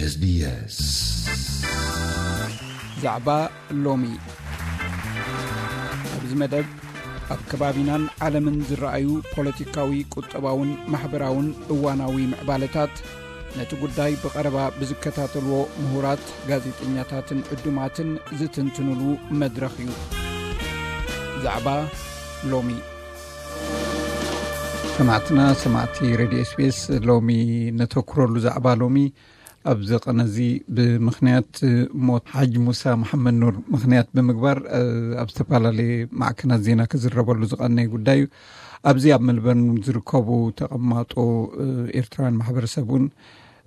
SBS። ዛዕባ ሎሚ። ኣብዚ መደብ ኣብ ከባቢናን ዓለምን ዝረኣዩ ፖለቲካዊ፣ ቁጠባውን ማሕበራውን እዋናዊ ምዕባለታት፣ ነቲ ጉዳይ ብቐረባ ብዝከታተልዎ ምሁራት፣ ጋዜጠኛታትን ዕዱማትን ዝትንትኑሉ መድረኽ እዩ። ዛዕባ ሎሚ። ሰማዕትና፣ ሰማዕቲ ሬድዮ SBS፣ ሎሚ ነተኩረሉ ዛዕባ ሎሚ ኣብዚ ቀነ እዚ ብምኽንያት ሞት ሓጅ ሙሳ መሓመድ ኑር ምኽንያት ብምግባር፣ እ፣ ኣብ ዝተፈላለየ ማዕከናት ዜና ክዝረበሉ ዝቐነየ ጉዳይ እዩ። ኣብዚ ኣብ መልበርን ዝርከቡ ተቐማጦ፣ እ፣ ኤርትራውያን ማሕበረሰብ እውን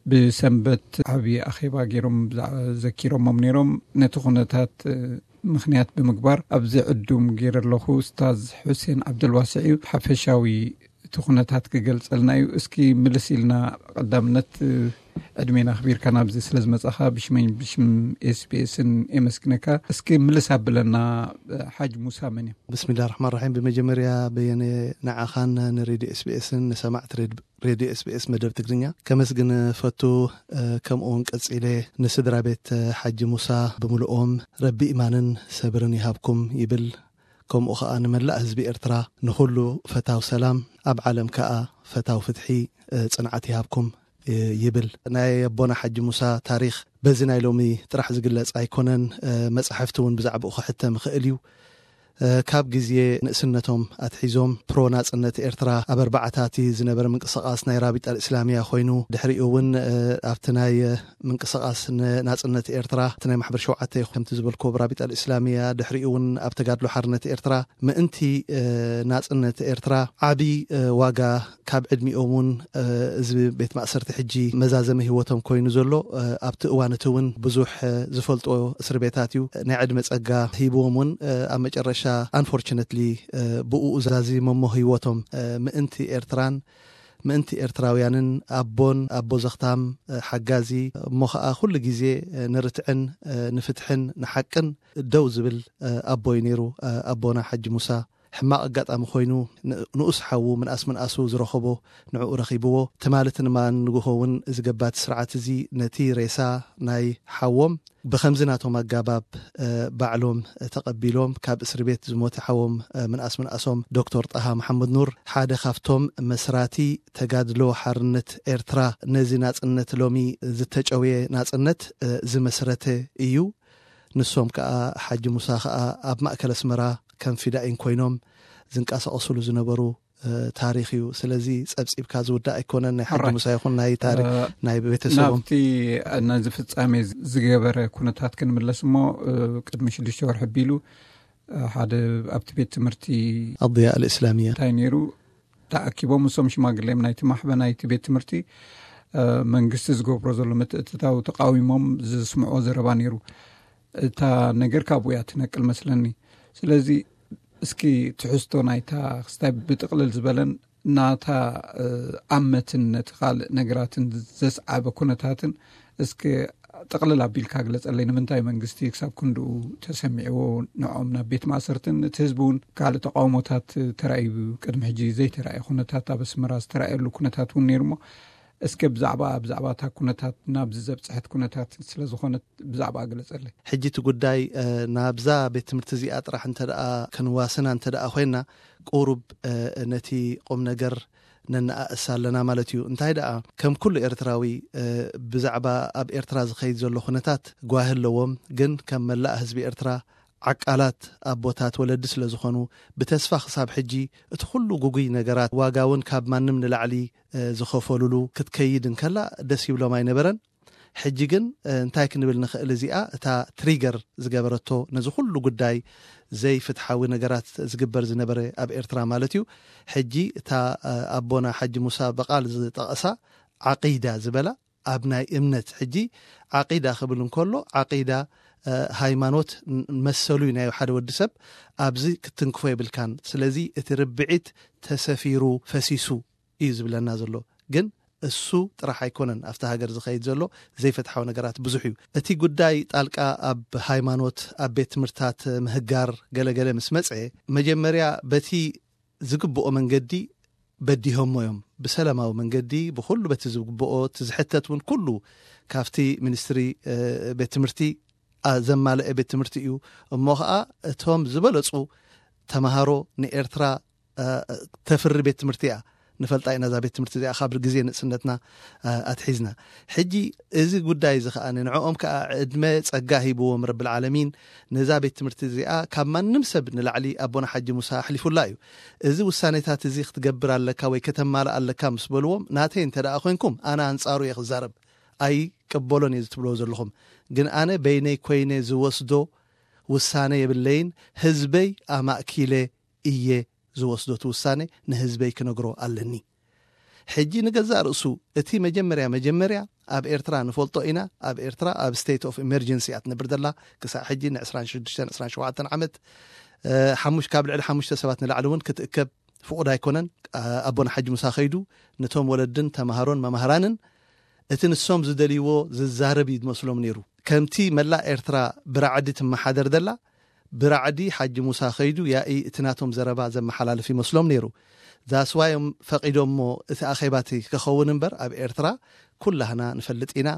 ብሰንበት ዓብዪ ኣኼባ ገይሮም ብዛ-፣ ዘኪሮሞም ነይሮም። ነቲ ኩነታት፣ እ፣ ምኽንያት ብምግባር ኣብዚ ዕዱም ገይረ ኣለኹ። ኡስታዝ ሑሴን ዓብደልዋስዕ እዩ። ሓፈሻዊ እቲ ኩነታት ክገልጸልና እዩ። እስኪ ምልስ ኢልና ቀዳምነት፣ እ፣ ዕድሜና ኣኽቢርካ ናብዚ ስለ ዝመጻኻ ብሽመይ ብሽም SBS-ን የመስግነካ። እስኪ ምልስ ኣብለና፣ እ፣ ሓጅ ሙሳ መን እዮም? ብስሚላህ ራሕማን ራሒም። ብመጀመርያ በየነ ንዓኻን ንሬድዮ SBS-ን ንሰማዕቲ ሬድ-፣ ሬድዮ SBS መደብ ትግርኛ ከመስግን ፈቱ። እ፣ ከምኡ እውን ቀጺለ ንስድራ ቤት፣ እ፣ ሓጂ ሙሳ ብምልኦም ረቢ ኢማንን ሰብርን ይሃብኩም ይብል። ከምኡ ኸኣ ንመላእ ህዝቢ ኤርትራ፣ ንኹሉ ፈታው ሰላም፣ ኣብ ዓለም ከኣ ፈታው ፍትሒ፣ እ፣ ጽንዓት ይሃብኩም፣ እ፣ ይብል። ናይ ኣቦና ሓጂ ሙሳ ታሪኽ በዚ ናይ ሎሚ ጥራሕ ዝግለጽ ኣይኮነን። እ፣ መጻሕፍቲ እውን ብዛዕባኡ ክሕተም ይኽእል እዩ። እ፣ ካብ ግዜ ንእስነቶም ኣትሒዞም ፕሮ ናጽነት ኤርትራ ኣብ ኣርባዓታት ዝነበረ ምንቅስቓስ ናይ ራቢጣ ኣልእስላሚያ ኮይኑ፣ ድሕሪኡ እውን፣ እ፣ ኣብቲ ናይ፣ እ፣ ምንቅስቓስ ንናጽነት ኤርትራ፣ እቲ ናይ ማሕበር ሸውዓተ ከምቲ ዝበልክዎ ብራቢጣ ኣልእስላሚያ፣ ድሕሪኡ እውን ኣብ ተጋድሎ ሓርነት ኤርትራ ምእንቲ፣ እ፣ ናጽነት ኤርትራ ዓቢ፣ እ፣ ዋጋ ካብ ዕድሚኦም እውን፣ እ፣ እዚ ቤት ማእሰርቲ ሕጂ መዛዘሚ ህይወቶም ኮይኑ ዘሎ፣ እ፣ ኣብቲ እዋን እቲ እውን ብዙሕ፣ እ፣ ዝፈልጦ እስር ቤታት እዩ። ናይ ዕድመ ጸጋ ሂብዎም እውን፣ እ፣ ኣብ መጨረሻ፣ unfortunately፣ እ፣ ብኡ ዛዚሞሞ ህይወቶም፣ እ፣ ምእንቲ ኤርትራን ምእንቲ ኤርትራውያንን ኣቦን ኣቦ ዘኽታም፣ እ፣ ሓጋዚ፣ እሞ ኸኣ ኩሉ ግዜ፣ እ፣ ንርትዕን፣ እ፣ ንፍትሕን ንሓቅን ደው ዝብል፣ እ፣ ኣቦ እዩ ነይሩ፣ እ፣ ኣቦና ሓጂ ሙሳ። ሕማቕ ኣጋጣሚ ኮይኑ ን-፣ ንኡስ ሓዉ ምንኣስ ምንኣሱ ዝረኸቦ ንዕኡ ረኺብዎ። ትማሊ ትንማ ንግሆ እውን እዚ ገባቲ ስርዓት እዚ ነቲ ሬሳ ናይ ሓዎም ብኸምዚ ናቶም ኣጋባብ፣ እ፣ ባዕሎም ተቐቢሎም ካብ እስሪ ቤት ዝሞተ ሓዎም፣ እ፣ ምንኣስ ምንኣሶም ዶክተር ጣሃ መሓመድ ኑር ሓደ ካብቶም መስራቲ ተጋድሎ ሓርነት ኤርትራ ነዚ ናጽነት ሎሚ ዝተጨውየ ናጽነት፣ እ፣ ዝመስረተ እዩ። ንሶም ከኣ ሓጂ ሙሳ ከኣ ኣብ ማእከል ኣስመራ ከም ፊዳኢን ኮይኖም ዝንቀሳቐስሉ ዝነበሩ፣ እ፣ ታሪኽ እዩ። ስለዚ ጸብጺብካ ዝውዳእ ኣይኮነን ናይ ሓጂ ኦራይት። ሙሳ ይኹን ናይ ታሪኽ እ፣ ናይ ቤተሰቦም። ናብቲ፣ ነዚ ፍጻሜ ዝገበረ ኩነታት ክንምለስ እሞ፣ እ፣ ቅድሚ ሽዱሽተ ወርሒ ኣቢሉ፣ እ፣ ሓደ ኣብቲ ቤት ትምህርቲ ኣضياء الإسلامية እንታይ ነይሩ? ተኣኪቦም እሶም ሽማግሌም ናይቲ ማሕበ ናይቲ ቤት ትምህርቲ፣ እ፣ መንግስቲ ዝገብሮ ዘሎ ምትእትታው ተቃዊሞም ዝስምዕዎ ዘረባ ነይሩ። እታ ነገር ካብኡ እያ ትነቅል መስለኒ። ስለዚ እስኪ ትሕዝቶ ናይታ ክስታይ ብጥቕልል ዝበለን ናታ፣ እ፣ ኣመትን ነቲ ካልእ ነገራትን ዘስዓበ ኩነታትን እስኪ ጥቕልል ኣቢልካ ግለጸለይ። ንምንታይ መንግስቲ ክሳብ ክንድኡ ተሰሚዕዎ ንዖም ናብ ቤት ማእሰርትን እቲ ህዝቢ እውን ካልእ ተቃውሞታት ተራእዩ ቅድሚ ሕጂ ዘይተራእየ ኩነታት ኣብ ኣስመራ ዝተራእየሉ ኩነታት እውን ነይሩ እሞ እስከ ብዛዕባ፣ ብዛዕባ እታ ኩነታት ናብዚ ዘብጽሐት ኩነታት ስለ ዝኾነት ብዛዕባ ግለጸለይ። ሕጂ እቲ ጉዳይ፣ እ፣ ናብዛ ቤት ትምህርቲ እዚኣ ጥራሕ እንተ ደኣ ክንዋስና እንተ ደኣ ኮይና ቁሩብ፣ እ፣ ነቲ ቁም ነገር ነነኣእስ ኣለና ማለት እዩ። እንታይ ደኣ ከም ኩሉ ኤርትራዊ፣ እ፣ ብዛዕባ ኣብ ኤርትራ ዝኸይድ ዘሎ ኩነታት ጓሂ ኣለዎም። ግን ከም መላእ ህዝቢ ኤርትራ ዓቃላት ኣቦታት ወለዲ ስለ ዝኾኑ ብተስፋ ክሳብ ሕጂ እቲ ኩሉ ጉጉይ ነገራት ዋጋ እውን ካብ ማንም ንላዕሊ፣ እ፣ ዝኸፈሉሉ ክትከይድ እንከላ ደስ ይብሎም ኣይነበረን። ሕጂ ግን፣ እ፣ እንታይ ክንብል ንኽእል? እዚኣ እታ ትሪገር ዝገበረቶ ነዚ ኩሉ ጉዳይ ዘይፍትሓዊ ነገራት ዝግበር ዝነበረ ኣብ ኤርትራ ማለት እዩ። ሕጂ እታ፣ እ፣ ኣቦና ሓጂ ሙሳ ብቓል ዝጠቐሳ ዓቂዳ ዝበላ ኣብ ናይ እምነት ሕጂ ዓቂዳ ክብል እንከሎ ዓቂዳ፣ እ፣ ሃይማኖት ን-፣ መሰሉ እዩ ናይ ሓደ ወዲ ሰብ ኣብዚ ክትንክፎ የብልካን። ስለዚ እቲ ርብዒት ተሰፊሩ ፈሲሱ እዩ ዝብለና ዘሎ። ግን እሱ ጥራሕ ኣይኮነን ኣብቲ ሃገር ዝኸይድ ዘሎ ዘይፍትሓዊ ነገራት ብዙሕ እዩ። እቲ ጉዳይ ጣልቃ ኣብ ሃይማኖት፣ ኣብ ቤት ትምህርትታት ምህጋር ገለገለ ምስ መጸ መጀመርያ በቲ ዝግብኦ መንገዲ በዲሆሞ እዮም። ብሰላማዊ መንገዲ ብኹሉ በቲ ዝግብኦ እቲ ዝሕተት እውን ኩሉ ካብቲ ሚኒስትሪ ቤት ትምህርቲ ዘማልአ ቤት ትምህርቲ እዩ። እሞ ከዓ እቶም ዝበለፁ ተምሃሮ ንኤርትራ ተፍሪ ቤት ትምህርቲ እያ። ንፈልጣ ኢና እዛ ቤት ትምህርቲ እዚኣ ካብ ግዜ ንእስነትና ኣትሒዝና። ሕጂ እዚ ጉዳይ እዚ ከዓ ንዕኦም ከዓ ዕድመ ጸጋ ሂብዎም ረብል ዓለሚን፣ ነዛ ቤት ትምህርቲ እዚኣ ካብ ማንም ሰብ ንላዕሊ ኣቦና ሓጂ ሙሳ ኣሕሊፉላ እዩ። እዚ ውሳኔታት እዚ ክትገብር ኣለካ ወይ ከተማልእ ኣለካ ምስ በልዎም፣ ናተይ እንተ ደኣ ኮይንኩም ኣነ ኣንጻሩ እየ ክዛረብ፣ ኣይቅበሎን እየ ዝትብልዎ ዘለኹም። ግን ኣነ በይነይ ኮይነ ዝወስዶ ውሳነ የብለይን። ህዝበይ ኣማእኪለ እየ ዝወስዶ እቲ ውሳኔ ንህዝበይ ክነግሮ ኣለኒ። ሕጂ ንገዛእ ርእሱ እቲ መጀመርያ መጀመርያ ኣብ ኤርትራ ንፈልጦ ኢና። ኣብ ኤርትራ ኣብ state of emergency እያ ትነብር ዘላ። ክሳብ ሕጂ ን ዕስራን ሽዱሽተን ዕስራን ሸውዓተን ዓመት ሓሙሽ ካብ ልዕሊ ሓሙሽተ ሰባት ንላዕሊ እውን ክትእከብ ፍቑድ ኣይኮነን። ኣቦና ሓጂ ሙሳ ከይዱ ነቶም ወለድን ተምሃሮን መማህራንን እቲ ንሶም ዝደልይዎ ዝዛረብ እዩ ዝመስሎም ነይሩ። ከምቲ መላእ ኤርትራ ብራዕዲ ትመሓደር ዘላ፣ ብራዕዲ ሓጂ ሙሳ ከይዱ ያኢ እቲ ናቶም ዘረባ ዘመሓላልፍ ይመስሎም ነይሩ። ዛስዋዮም ፈቒዶሞ እቲ ኣኼባቲ ክኸውን እምበር ኣብ ኤርትራ ኩላህና ንፈልጥ ኢና።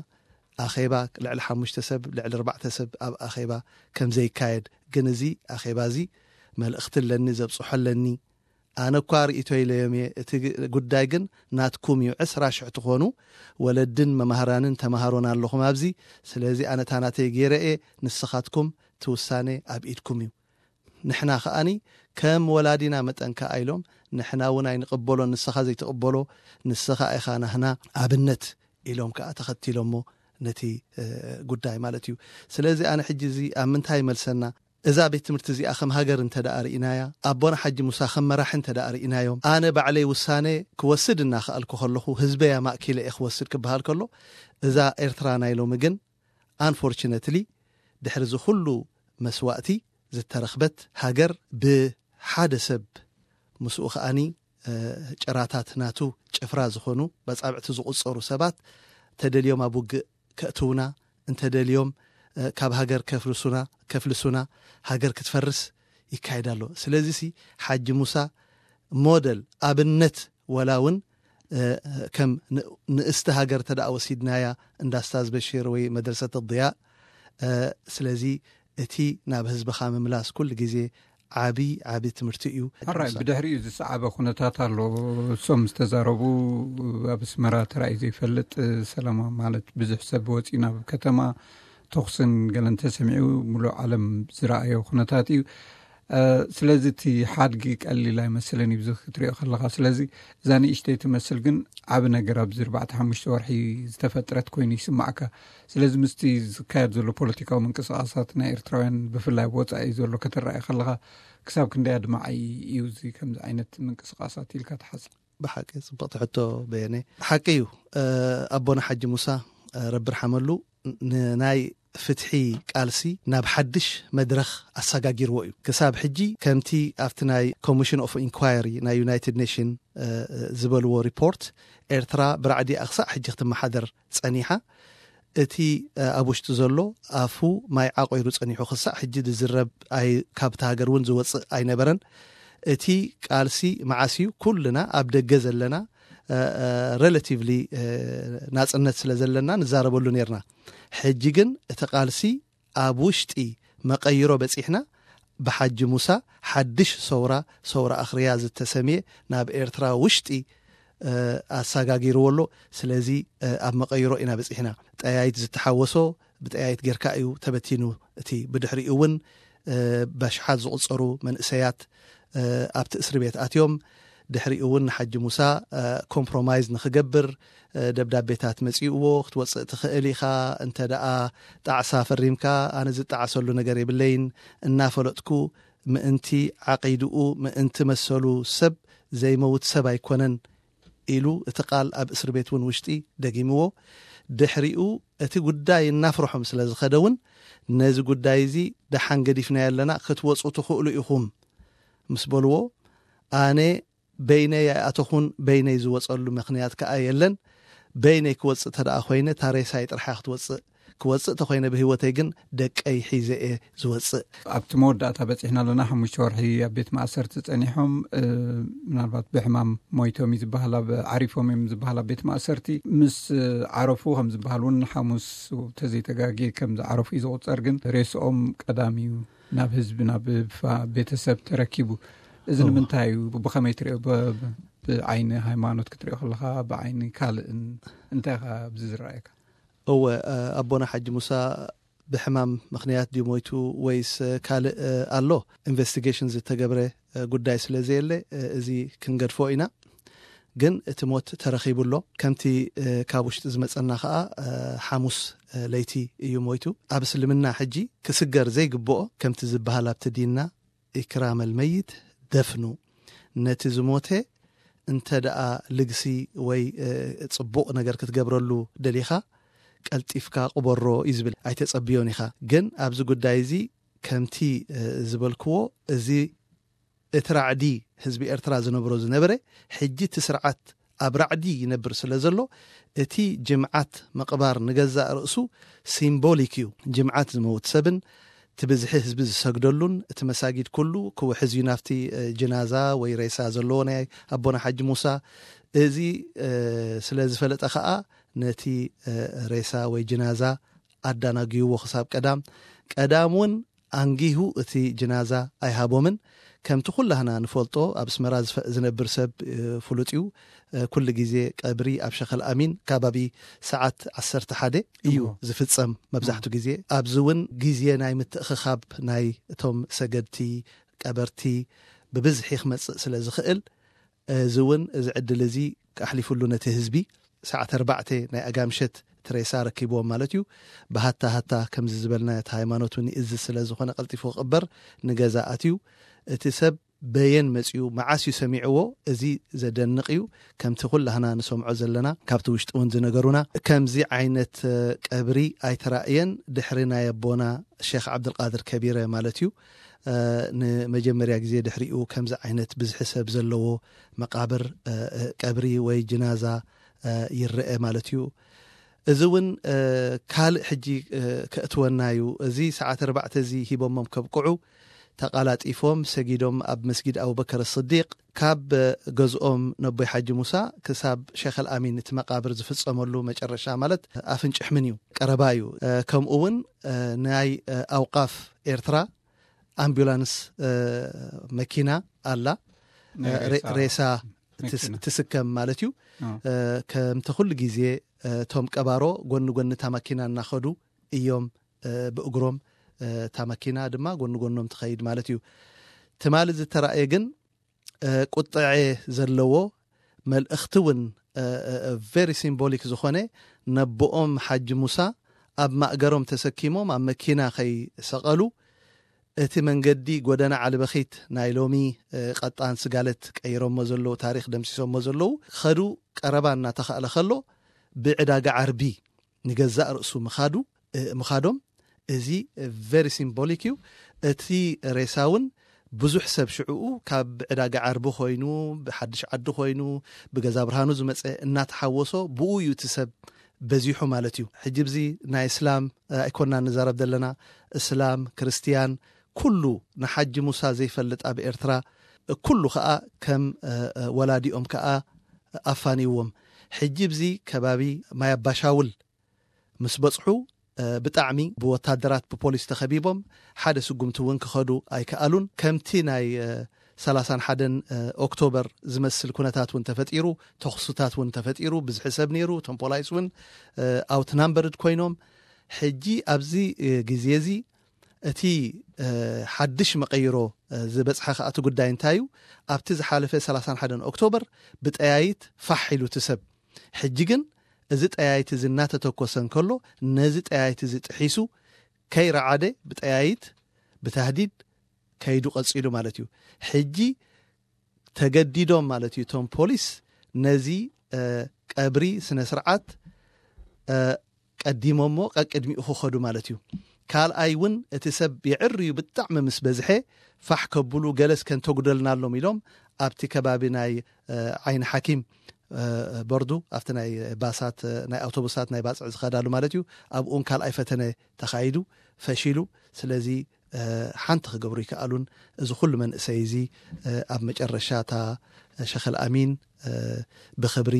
ኣኼባ ልዕሊ ሓሙሽተ ሰብ ልዕሊ ኣርባዕተ ሰብ ኣብ ኣኼባ ከም ዘይካየድ። ግን እዚ ኣኼባ እዚ መልእኽቲ ኣለኒ ዘብጽሖ ኣለኒ። ኣነ እኳ ርእይቶ ኢለዮም እየ። እቲ ጉዳይ ግን ናትኩም እዩ። ዕስራ ሽሕ ትኾኑ ወለድን መማህራንን ተምሃሮን ኣለኹም ኣብዚ። ስለዚ ኣነ ታናተይ ገይረ እየ። ንስኻትኩም ትውሳኔ ኣብ ኢድኩም እዩ። ንሕና ከኣኒ ከም ወላዲና መጠን ከኣ ኢሎም ንሕና እውን ኣይንቕበሎ፣ ንስኻ ዘይትቕበሎ፣ ንስኻ ኢኻ ናህና ኣብነት ኢሎም ከኣ ተኸቲሎሞ ነቲ ጉዳይ ማለት እዩ። ስለዚ ኣነ ሕጂ እዚ ኣብ ምንታይ ይመልሰና? እዛ ቤት ትምህርቲ እዚኣ ከም ሃገር እንተ ደኣ ርኢናያ፣ ኣቦና ሓጂ ሙሳ ከም መራሒ እንተ ደኣ ርኢናዮም፣ ኣነ ባዕለይ ውሳነ ክወስድ እናኸኣልኩ ከለኹ፣ ህዝበይ ኣማእኪለ እየ ክወስድ ክበሃል ከሎ፣ እዛ ኤርትራ ናይ ሎሚ ግን፣ unfortunately፣ ድሕሪ እዚ ኩሉ መስዋእቲ ዝተረኽበት ሃገር ብሓደ ሰብ፣ ምስኡ ከኣኒ ጭራታት ናቱ ጭፍራ ዝኾኑ በጻብዕቲ ዝቑጸሩ ሰባት ተደልዮም ኣብ ውግእ ከእትውና፣ እንተደልዮም ካብ ሃገር ከፍልሱና፣ ከፍልሱና፣ ሃገር ክትፈርስ ይካየድ ኣሎ። ስለዚሲ ሓጂ ሙሳ ሞደል ኣብነት ወላ እውን ከም ንእስቲ ሃገር ተደኣ ወሲድናያ እንዳ ስታዝ በሽር ወይ መድረሰት ضياء። ስለዚ እቲ ናብ ህዝብኻ ምምላስ ኩሉ ግዜ ዓቢ ዓቢ ትምህርቲ እዩ። ሕራይ ብድሕሪኡ ዝሰዓበ ኩነታት ኣሎ። እሶም ዝተዛረቡ ኣብ ኣስመራ ተራእዩ ዘይፈልጥ ሰላማ ማለት ብዙሕ ሰብ ወፂኡ ናብ ከተማ ተኹስን ገለን ተሰሚዑ ሙሉእ ዓለም ዝረኣዮ ኩነታት እዩ። ስለዚ እቲ ሓድጊ ቀሊል ኣይመስልን እዩ ክትሪኦ ከለካ። ስለዚ እዛ ንእሽተይ ትመስል ግን ዓቢ ነገር ኣብዚ ኣርባዕተ ሓሙሽተ ወርሒ ዝተፈጥረት ኮይኑ ይስማዕካ። ስለዚ ምስቲ ዝካየድ ዘሎ ፖለቲካዊ ምንቅስቃሳት ናይ ኤርትራውያን ብፍላይ ብወፃኢ ዘሎ ከተረኣየ ከለካ ክሳብ ክንደይ ኣድማዓይ እዩ እዚ ከምዚ ዓይነት ምንቅስቃሳት ኢልካ ትሓስብ? ብሓቂ ጽብቕቲ ሕቶ በየነ። ሓቂ እዩ። ኣቦና ሓጂ ሙሳ ረቢ ርሓመሉ ንናይ ፍትሒ ቃልሲ ናብ ሓድሽ መድረኽ ኣሰጋጊርዎ እዩ። ክሳብ ሕጂ ከምቲ ኣብቲ ናይ ኮሚሽን ኦፍ ኢንኳየሪ ናይ ዩናይትድ ኔሽን ዝበልዎ ሪፖርት ኤርትራ ብራዕዲ ኣክሳዕ ሕጂ ክትመሓደር ጸኒሓ። እቲ ኣብ ውሽጢ ዘሎ ኣፉ ማይ ዓቆይሩ ጸኒሑ ክሳዕ ሕጂ ዝዝረብ ኣይ ካብቲ ሃገር እውን ዝወጽእ ኣይነበረን። እቲ ቃልሲ መዓስ እዩ? ኩልና ኣብ ደገ ዘለና ሬላቲቭሊ ናጽነት ስለ ዘለና ንዛረበሉ ነርና። ሕጂ ግን እቲ ቃልሲ ኣብ ውሽጢ መቐይሮ በጺሕና። ብሓጂ ሙሳ ሓድሽ ሰውራ ሰውራ ኣኽርያ ዝተሰምየ ናብ ኤርትራ ውሽጢ ኣሳጋጊርዎ ኣሎ። ስለዚ ኣብ መቐይሮ ኢና በጺሕና። ጠያይት ዝተሓወሶ ብጠያይት ጌርካ እዩ ተበቲኑ። እቲ ብድሕሪኡ እውን በሽሓት ዝቑጸሩ መንእሰያት ኣብቲ እስሪ ቤት ኣትዮም። ድሕሪኡ እውን ንሓጂ ሙሳ ኮምፕሮማይዝ ንክገብር ደብዳቤታት መጺእዎ ክትወፅእ ትኽእል ኢኻ እንተ ደኣ ጣዕሳ ፈሪምካ ኣነ ዝጣዓሰሉ ነገር የብለይን እናፈለጥኩ ምእንቲ ዓቂድኡ ምእንቲ መሰሉ ሰብ ዘይመውት ሰብ ኣይኮነን ኢሉ እቲ ቃል ኣብ እስር ቤት እውን ውሽጢ ደጊምዎ። ድሕሪኡ እቲ ጉዳይ እናፍርሖም ስለ ዝኸደ እውን ነዚ ጉዳይ እዚ ደሓን ገዲፍናዮ ኣለና ክትወፁ ትኽእሉ ኢኹም ምስ በልዎ ኣነ በይነይ ኣይኣተኹን በይነይ ዝወፀሉ ምኽንያት ከዓ የለን። በይነይ ክወፅእ ተደኣ ኮይነ ታሬሳይ ጥርሓ ክትወፅእ ክወፅእ ተኮይነ ብህይወተይ ግን ደቀይ ሒዘ እየ ዝወፅእ። ኣብቲ መወዳእታ በፂሕና ኣለና። ሓሙሽተ ወርሒ ኣብ ቤት ማእሰርቲ ፀኒሖም፣ ምናልባት ብሕማም ሞይቶም እዩ ዝበሃል፣ ኣብ ዓሪፎም እዮም ዝበሃል ኣብ ቤት ማእሰርቲ። ምስ ዓረፉ ከም ዝበሃል እውን ሓሙስ ተዘይተጋጌ ከም ዝዓረፉ እዩ ዝቁፀር። ግን ሬስኦም ቀዳም እዩ ናብ ህዝቢ፣ ናብ ቤተሰብ ተረኪቡ። እዚ ንምንታይ እዩ? ብኸመይ ትሪኦ? ብዓይኒ ሃይማኖት ክትሪኦ ከለካ፣ ብዓይኒ ካልእን እንታይ ካ ኣብዚ ዝረኣየካ? እወ፣ ኣቦና ሓጂ ሙሳ ብሕማም ምክንያት ድዩ ሞይቱ ወይስ ካልእ ኣሎ? ኢንቨስቲጌሽን ዝተገብረ ጉዳይ ስለ ዘየለ፣ እዚ ክንገድፎ ኢና። ግን እቲ ሞት ተረኺቡ ኣሎ። ከምቲ ካብ ውሽጢ ዝመጸና ከኣ፣ ሓሙስ ለይቲ እዩ ሞይቱ። ኣብ እስልምና ሕጂ ክስገር ዘይግብኦ፣ ከምቲ ዝበሃል ኣብቲ ዲንና፣ ኢክራመል መይት ደፍኑ፣ ነቲ ዝሞተ እንተ ደኣ ልግሲ ወይ ጽቡቕ ነገር ክትገብረሉ ደሊኻ፣ ቀልጢፍካ ቅበሮ እዩ ዝብል። ኣይተጸብዮን ኢኻ። ግን ኣብዚ ጉዳይ እዚ ከምቲ ዝበልክዎ፣ እዚ እቲ ራዕዲ ህዝቢ ኤርትራ ዝነብሮ ዝነበረ፣ ሕጂ እቲ ስርዓት ኣብ ራዕዲ ይነብር ስለ ዘሎ፣ እቲ ጅምዓት ምቕባር ንገዛእ ርእሱ ሲምቦሊክ እዩ። ጅምዓት ዝመውት ሰብን እቲ ብዝሒ ህዝቢ ዝሰግደሉን፣ እቲ መሳጊድ ኩሉ ክውሕዝ እዩ ናብቲ ጅናዛ ወይ ሬሳ ዘለዎ ናይ ኣቦና ሓጂ ሙሳ። እዚ ስለ ዝፈለጠ ከኣ ነቲ ሬሳ ወይ ጅናዛ ኣዳናግይዎ ክሳብ ቀዳም። ቀዳም እውን ኣንጊሁ እቲ ጅናዛ ኣይሃቦምን። ከምቲ ኩላህና ንፈልጦ፣ ኣብ ኣስመራ ዝፈ-፣ ዝነብር ሰብ ፍሉጥ እዩ። ኩሉ ግዜ ቀብሪ ኣብ ሸኸል ኣሚን ከባቢ ሰዓት ዓሰርተ ሓደ እዩ ዝፍጸም መብዛሕቱ ግዜ። ኣብዚ እውን ግዜ ናይ ምትእኽኻብ ናይ እቶም ሰገድቲ፣ ቀበርቲ ብብዝሒ ክመጽእ ስለ ዝኽእል፣ እዚ እውን፣ እዚ ዕድል እዚ ኣሕሊፉሉ ነቲ ህዝቢ። ሰዓት ኣርባዕተ ናይ ኣጋምሸት እቲ ሬሳ ረኪብዎም ማለት እዩ። ብሃታ ሃታ ከምዚ ዝበልና፣ እቲ ሃይማኖት እውን ይእዝዝ ስለ ዝኾነ፣ ቀልጢፉ ክቕበር ንገዛ ኣትዩ። እቲ ሰብ በየን መጺኡ፣ መዓስ እዩ ሰሚዕዎ? እዚ ዘደንቕ እዩ። ከምቲ ኩላህና ንሰምዖ ዘለና፣ ካብቲ ውሽጢ እውን ዝነገሩና፣ ከምዚ ዓይነት ቀብሪ ኣይተራእየን ድሕሪ ናይ ኣቦና ሼኽ ዓብዱልቃድር ከቢረ ማለት እዩ። ንመጀመርያ ግዜ ድሕሪኡ ከምዚ ዓይነት ብዝሒ ሰብ ዘለዎ መቃብር፣ ቀብሪ ወይ ጅናዛ ይረአ ማለት እዩ። እዚ እውን ካልእ ሕጂ ከእትወና እዩ። እዚ ሰዓት ኣርባዕተ እዚ ሂቦሞም ከብቅዑ፣ ተቓላጢፎም ሰጊዶም ኣብ መስጊድ ኣቡበከር ስዲቅ፣ ካብ ገዝኦም ነቦይ ሓጂ ሙሳ ክሳብ ሸኸል ኣሚን እቲ መቃብር ዝፍጸመሉ መጨረሻ ማለት ኣፍንጭሕ ምን እዩ፣ ቀረባ እዩ። ከምኡ እውን ናይ ኣውቃፍ ኤርትራ ኣምቡላንስ መኪና ኣላ፣ ሬሳ ትስከም ማለት እዩ። ከምቲ ኩሉ ግዜ እቶም ቀባሮ ጎኒ ጎኒ እታ መኪና እናኸዱ እዮም፣ ብእግሮም፣ እታ መኪና ድማ ጎኒ ጎኖም ትኸይድ ማለት እዩ። ትማሊ ዝተራእየ ግን ቁጥዐ ዘለዎ መልእኽቲ እውን፣ ቨሪ ሲምቦሊክ ዝኾነ፣ ነቦኦም ሓጂ ሙሳ ኣብ ማእገሮም ተሰኪሞም ኣብ መኪና ከይሰቐሉ፣ እቲ መንገዲ ጎደና ዓለበኺት ናይ ሎሚ፣ ቀጣን ስጋለት ቀይሮሞ ዘለዉ፣ ታሪኽ ደምሲሶሞ ዘለዉ፣ ከዱ ቀረባ እናተኻእለ ከሎ፣ ብዕዳጋ ዓርቢ ንገዛእ ርእሱ ምኻዱ፣ ምኻዶም፣ እዚ ቨሪ ሲምቦሊክ እዩ። እቲ ሬሳ እውን ብዙሕ ሰብ ሽዕኡ ካብ ዕዳጋ ዓርቢ ኮይኑ፣ ብሓድሽ ዓዲ ኮይኑ፣ ብገዛ ብርሃኑ ዝመፀ እናተሓወሶ፣ ብኡ እዩ እቲ ሰብ በዚሑ ማለት እዩ። ሕጂ ብዚ ናይ እስላም ኣይኮና ንዛረብ ዘለና፣ እስላም፣ ክርስትያን፣ ኩሉ ንሓጂ ሙሳ ዘይፈልጥ ኣብ ኤርትራ፣ ኩሉ ከኣ ከም ወላዲኦም ከኣ ኣፋንይዎም። ሕጂ ብዚ ከባቢ ማይ ኣባሻውል ምስ በጽሑ፣ ብጣዕሚ ብወታደራት ብፖሊስ ተኸቢቦም፣ ሓደ ስጉምቲ እውን ክኸዱ ኣይከኣሉን። ከምቲ ናይ ሰላሳን ሓደን ኦክቶበር ዝመስል ኩነታት እውን ተፈጢሩ፣ ተኹስታት እውን ተፈጢሩ፣ ብዝሒ ሰብ ነይሩ፣ እቶም ፖላይስ እውን ኣውትናምበርድ ኮይኖም። ሕጂ ኣብዚ ግዜ እዚ እቲ ሓድሽ መቐይሮ ዝበጽሐ ከኣ እቲ ጉዳይ እንታይ እዩ? ኣብቲ ዝሓለፈ ሰላሳን ሓደን ኦክቶበር ብጠያይት ፋሕ ኢሉ እቲ ሰብ። ሕጂ ግን እዚ ጠያይት እዚ እናተተኮሰ እንከሎ፣ ነዚ ጠያይት እዚ ጥሒሱ ከይረዓደ ብጠያይት፣ ብታህዲድ ከይዱ ቀጺሉ ማለት እዩ። ሕጂ ተገዲዶም ማለት እዩ እቶም ፖሊስ ነዚ ቀብሪ ስነ ስርዓት ቀዲሞሞ ቀቅድሚኡ ክኸዱ ማለት እዩ። ካልኣይ እውን እቲ ሰብ የዕርዩ ብጣዕሚ ምስ በዝሐ ፋሕ ከብሉ፣ ገለስ ከንተጉደልናሎም ኢሎም ኣብቲ ከባቢ ናይ ዓይኒ ሓኪም በርዱ ኣብቲ ናይ ባሳት ናይ ኣውቶቡሳት ናይ ባፅዕ ዝኸዳሉ ማለት እዩ። ኣብኡን ካልኣይ ፈተነ ተኻይዱ ፈሺሉ። ስለዚ ሓንቲ ክገብሩ ይከኣሉን እዚ ኩሉ መንእሰይ እዚ ኣብ መጨረሻታ ሸኸል ኣሚን ብኽብሪ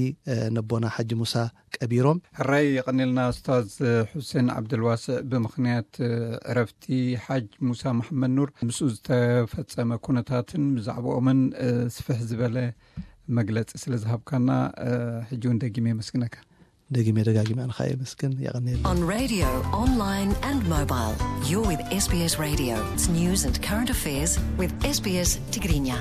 ነቦና ሓጂ ሙሳ ቀቢሮም። ሕራይ የቐኒልና ኡስታዝ ሑሴን ዓብደልዋስዕ። ብምኽንያት ዕረፍቲ ሓጅ ሙሳ መሓመድ ኑር ምስኡ ዝተፈጸመ ኩነታትን ብዛዕባኦምን ስፍሕ ዝበለ መግለጺ ስለ ዝሃብካና ሕጂ እውን ደጊመ የመስግነካ። ደጊመ ደጋጊመ ኣንኻ የመስግን። የቐኒልና። On radio, online and mobile, you're with S B S Radio. It's news and current affairs with S B S Tigrinya.